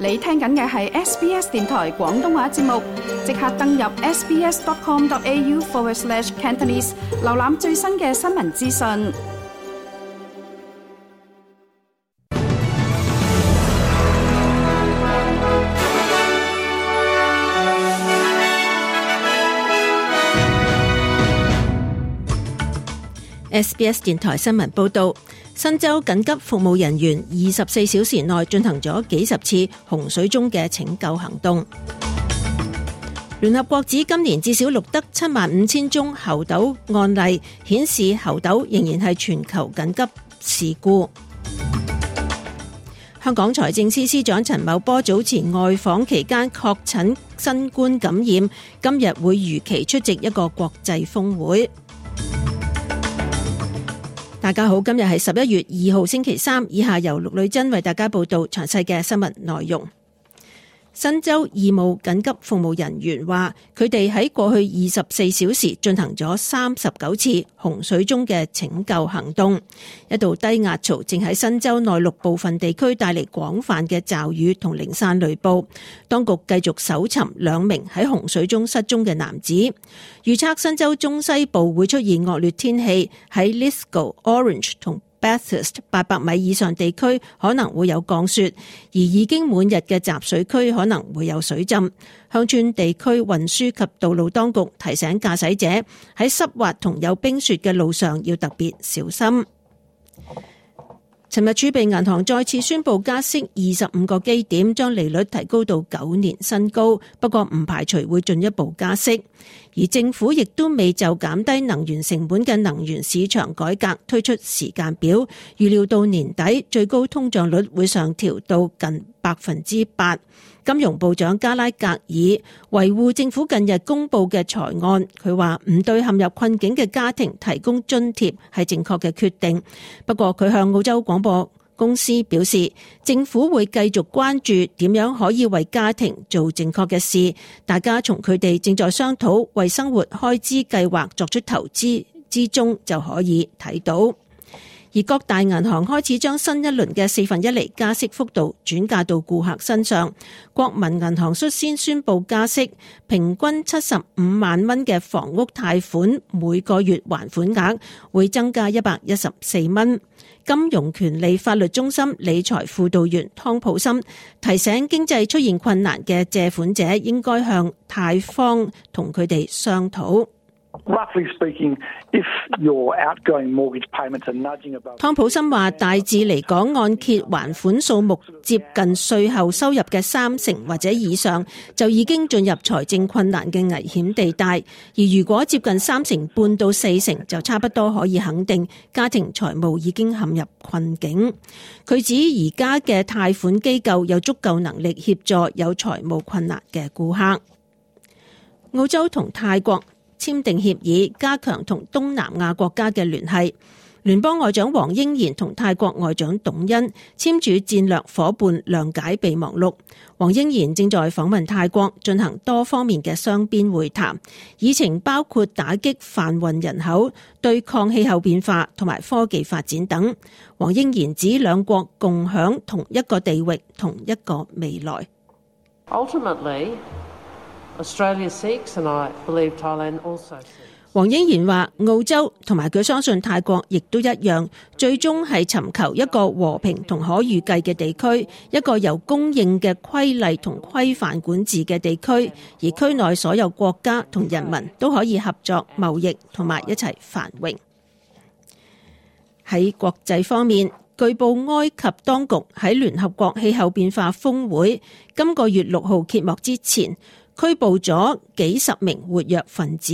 你聽緊嘅係 SBS 電台廣東話節目，即刻登入 sbs.com.au/Cantonese 瀏覽最新嘅新聞資訊。SBS 電台新聞報道，新州緊急服務人員24小時內進行咗幾十次洪水中嘅拯救行動。聯合國指今年至少錄得75000宗猴痘案例，顯示猴痘仍然係全球緊急事故。香港財政司司長陳茂波早前外訪期間確診新冠感染，今日會如期出席一個國際峰會。大家好，今日係11月2號星期三，以下由陸女珍為大家報道詳細嘅新聞內容。新州義務緊急服務人員話，佢哋喺過去24小時進行咗39次洪水中嘅拯救行動。一道低壓槽正喺新州內陸部分地區帶嚟廣泛嘅驟雨同零散雷暴。當局繼續搜尋2名喺洪水中失蹤嘅男子。預測新州中西部會出現惡劣天氣，喺 Lithgow、Orange 同Bathurst 800米以上地區可能會有降雪，而已經滿日嘅集水區可能會有水浸。鄉村地區運輸及道路當局提醒駕駛者喺濕滑同有冰雪嘅路上要特別小心。尋日儲備銀行再次宣布加息25個基點，將利率提高到9年新高，不過唔排除會進一步加息。而政府亦都未就減低能源成本嘅能源市場改革推出時間表，預料到年底最高通脹率會上調到近8%。金融部長加拉格爾維護政府近日公布嘅財案，佢話唔對陷入困境嘅家庭提供津貼係正確嘅決定。不過佢向澳洲廣播公司表示，政府會繼續關注點樣可以為家庭做正確嘅事，大家從佢哋正在商討為生活開支計劃作出投資之中就可以睇到。而各大銀行開始將新一輪嘅1/4厘加息幅度轉嫁到顧客身上。國民銀行率先宣布加息，平均75萬蚊嘅房屋貸款每個月還款額會增加114蚊。金融權利法律中心理財輔導員湯普森提醒經濟出現困難嘅借款者應該向貸方同佢哋商討。Roughly speaking, if your outgoing mortgage payments are nudging above， 湯普森話，大致嚟講，按揭還款數目接近稅後收入嘅30%或者以上，就已經進入財政困難嘅危險地帶。而如果接近3.5%到4%，就差不多可以肯定家庭財務已經陷入困境。佢指而家嘅貸款機構有足夠能力協助有財務困難嘅顧客。澳洲同泰國簽訂協議，加強同東南亞國家嘅聯繫。聯邦外長黃英賢同泰國外長董恩簽署戰略夥伴諒解備忘錄。黃英賢正在訪問泰國，進行多方面嘅雙邊會談，議程包括打擊販運人口、對抗氣候變化同埋科技發展等。黃英賢指兩國共享同一個地域、同一個未來。Ultimately, Australia seeks, and I believe Thailand also seeks. 黃英賢話，澳洲同埋佢相信泰國亦都一樣，最終係尋求一個和平同可預計嘅地區，一個由公認嘅規例同規範管治嘅地區，而區內所有國家同人民都可以合作貿易同埋一齊繁榮。喺國際方面，據報埃及當局喺聯合國氣候變化峰會今個月6號揭幕之前，拘捕咗幾十名活躍分子。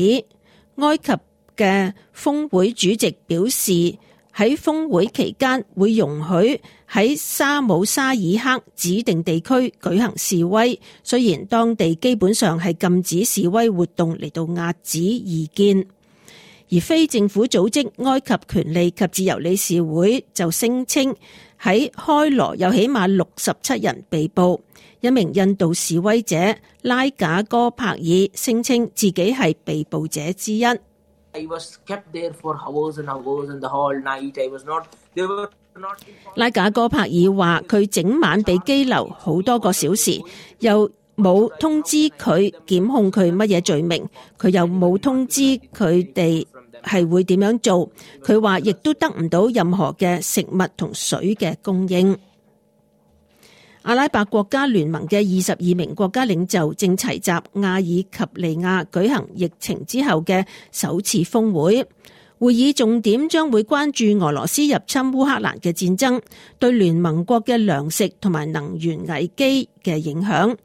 埃及嘅峰會主席表示，喺峰會期間會容許喺沙姆沙爾克指定地區舉行示威，雖然當地基本上係禁止示威活動嚟到壓止異見。而非政府組織埃及權利及自由理事會就聲稱喺開羅有起碼67人被捕。一名印度示威者拉賈哥柏爾聲稱自己係被捕者之一。拉賈戈柏爾話佢整晚被羈留好多個小時，又冇通知佢檢控佢乜嘢罪名，佢又冇通知佢哋係會點樣做。佢話亦都得唔到任何嘅食物同水嘅供應。阿拉伯國家聯盟嘅22名國家領袖正齊集阿爾及利亞舉行疫情之後嘅首次峰會。會議重點將會關注俄羅斯入侵烏克蘭嘅戰爭對聯盟國嘅糧食同埋能源危機嘅影響。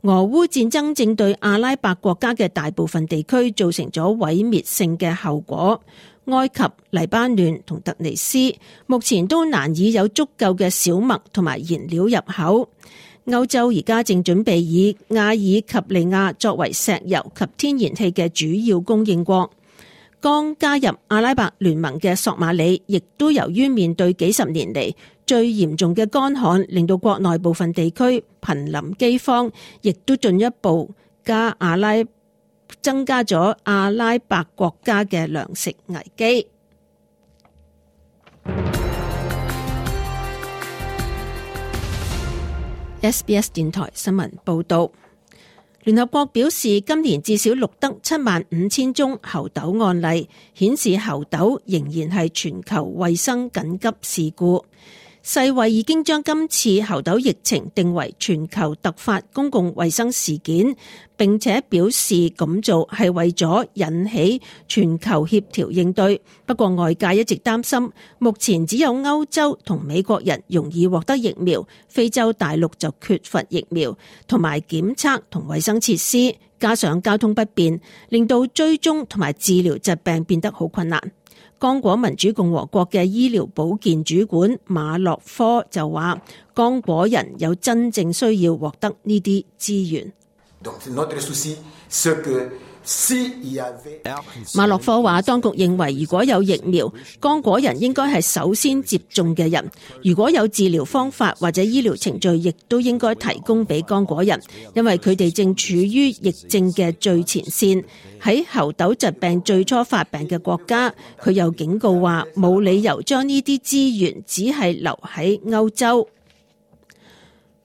俄烏戰爭正對阿拉伯國家嘅大部分地區造成咗毀滅性嘅後果。埃及、黎巴嫩同突尼斯目前都難以有足夠嘅小麥同埋燃料入口。歐洲而家正準備以阿爾及利亞作為石油及天然氣嘅主要供應國。剛加入阿拉伯聯盟嘅索馬里，亦都由於面對幾十年嚟最嚴重嘅乾旱，令到國內部分地區瀕臨饑荒，亦都進一步增加咗阿拉伯國家嘅糧食危機。SBS 電台新聞報道，聯合國表示，今年至少錄得75000宗猴痘案例，顯示猴痘仍然係全球衛生緊急事故。世衛已經將今次猴痘疫情定為全球突發公共衛生事件，並且表示咁做係為咗引起全球協調應對。不過外界一直擔心，目前只有歐洲同美國人容易獲得疫苗，非洲大陸就缺乏疫苗同埋檢測同衛生設施，加上交通不便，令到追蹤同埋治療疾病變得好困難。剛果民主共和國嘅醫療保健主管馬洛科就話，剛果人有真正需要獲得呢啲資源。馬洛科話，當局認為如果有疫苗，剛果人應該係首先接種嘅人。如果有治療方法或者醫療程序，亦都應該提供俾剛果人，因為佢哋正處於疫症嘅最前線。喺猴痘疾病最初發病嘅國家，佢又警告話，冇理由將呢啲資源只係留喺歐洲。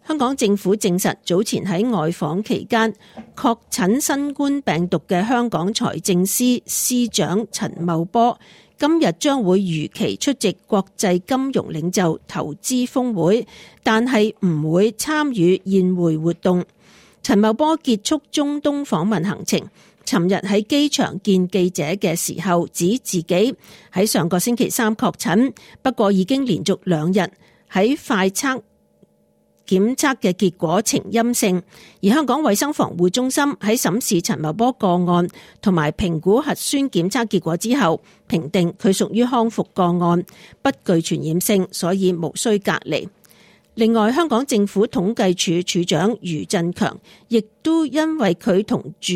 香港政府證實，早前喺外訪期間確診新冠病毒嘅香港財政司司長陳茂波，今日將會如期出席國際金融領袖投資峰會，但係唔會參與宴會活動。陳茂波結束中東訪問行程，尋日喺機場見記者嘅時候，指自己喺上個星期三確診，不過已經連續2日喺快測檢測嘅結果呈陰性。而香港衛生防護中心喺審視陳茂波個案同埋評估核酸檢測結果之後，評定佢屬於康復個案，不具傳染性，所以無需隔離。另外，香港政府統計處處長余振強亦都因為佢同住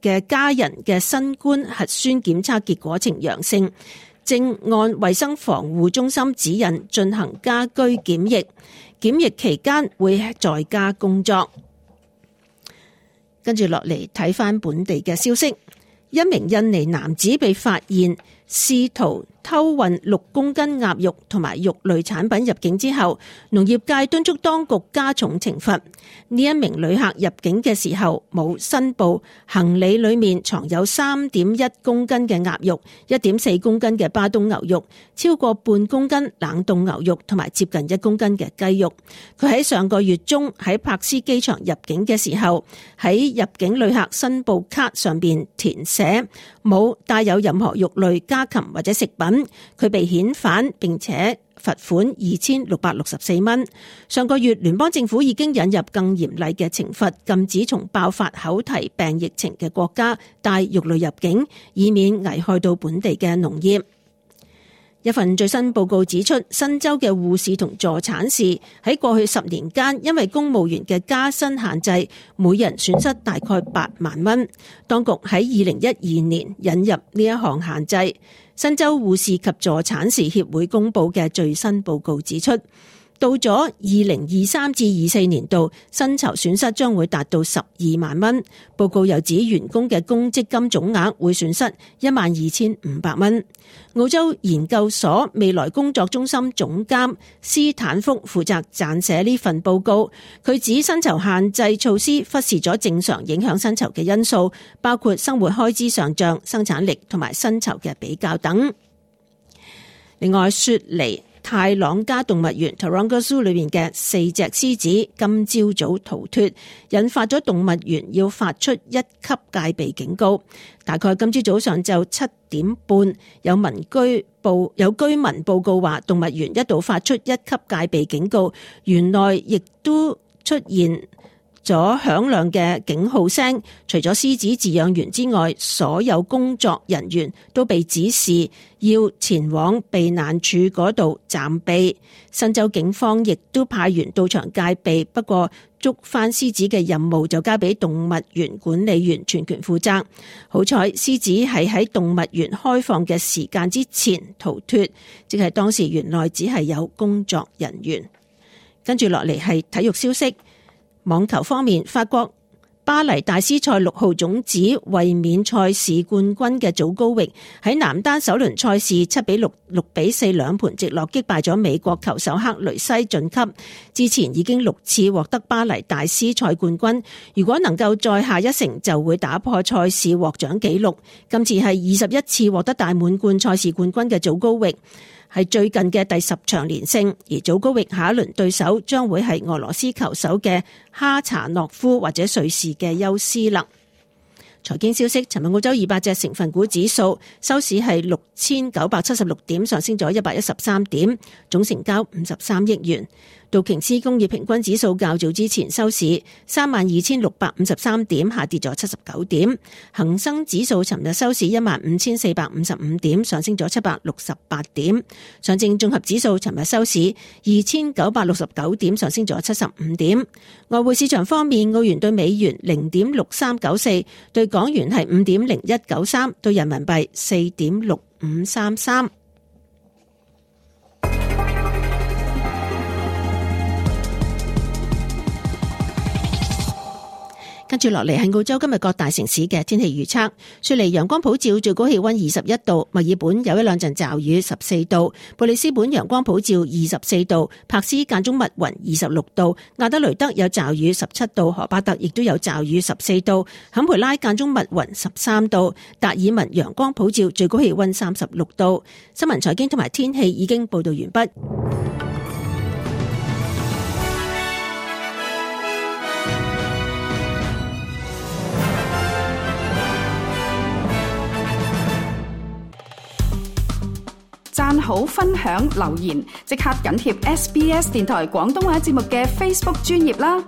嘅家人嘅新冠核酸檢測結果呈陽性，正按衛生防護中心指引進行家居檢疫，檢疫期間會在家工作。跟住落嚟睇返本地嘅消息，一名印尼男子被發現試圖偷運6公斤鴨肉同埋肉類產品入境之後，農業界敦促當局加重懲罰。呢一名旅客入境嘅時候冇申報行李裏面藏有 3.1 公斤嘅鴨肉、1.4 公斤嘅巴東牛肉、超過半公斤冷凍牛肉同埋接近1公斤嘅雞肉。佢喺上個月中喺柏斯機場入境嘅時候，喺入境旅客申報卡上邊填寫冇帶有任何肉類、家禽或者食品，佢被遣返並且罰款2664蚊。上個月聯邦政府已經引入更嚴厲嘅懲罰，禁止從爆發口蹄病疫情嘅國家帶肉類入境，以免危害到本地嘅農業。一份最新報告指出，新州嘅護士同助產士喺過去10年間，因為公務員嘅加薪限制，每人損失大概8萬蚊。當局喺2012年引入呢一項限制。新州護士及助產士協會公佈嘅最新報告指出，到咗2023至24年度，薪酬損失將會達到12萬蚊。報告又指員工嘅公積金總額會損失12500蚊。澳洲研究所未來工作中心總監斯坦福負責撰寫呢份報告，佢指薪酬限制措施忽視咗正常影響薪酬嘅因素，包括生活開支上漲、生產力同埋薪酬嘅比較等。另外，雪梨泰朗加動物園 Taronga Zoo 裏面嘅4隻獅子今朝早逃脫，引發咗動物園要發出1級戒備警告。大概今朝早上晝7點半，有居民報告話動物園一度發出1級戒備警告，園內亦都出現咗響亮嘅警號聲，除咗獅子飼養員之外，所有工作人員都被指示要前往避難處嗰度暫避。新州警方亦都派員到場戒備，不過捉返獅子嘅任務就交俾動物園管理員全權負責。好彩獅子係喺動物園開放嘅時間之前逃脫，即係當時園內只係有工作人員。跟住落嚟係體育消息。網球方面，法國巴黎大師賽6號種子衛冕賽事冠軍嘅祖高域喺男單首輪賽事7比6、6比4兩盤直落擊敗咗美國球手克雷西晉級。之前已經6次獲得巴黎大師賽冠軍，如果能夠再下一城就會打破賽事獲獎紀錄。今次係21次獲得大滿貫賽事冠軍嘅祖高域，係最近嘅第10場連勝，而祖高域下一輪對手將會係俄羅斯球手嘅哈查諾夫或者瑞士嘅休斯勒。財經消息，尋日澳洲200隻成分股指數收市係6976點，上升咗113點，總成交53億元。道瓊斯工業平均指數較早之前收市32653點，下跌咗79點。恒生指數尋日收市15455點，上升咗768點。上證綜合指數尋日收市2969點，上升咗75點。外匯市場方面，澳元對美元0.6394，對港元係5.0193，對人民幣4.6533。跟住落嚟係澳洲今日各大城市嘅天氣預測。雪梨陽光普照，最高氣溫21度；墨爾本有一兩陣驟雨14度；布里斯本陽光普照24度；柏斯間中密雲26度；亞德雷德有驟雨17度；荷巴特亦都有驟雨14度；坎培拉間中密雲13度；達爾文陽光普照，最高氣溫36度。新聞財經同埋天氣已經報道完畢。讚好、分享、留言，即刻緊貼SBS 電台廣東話節目嘅 Facebook 專頁啦！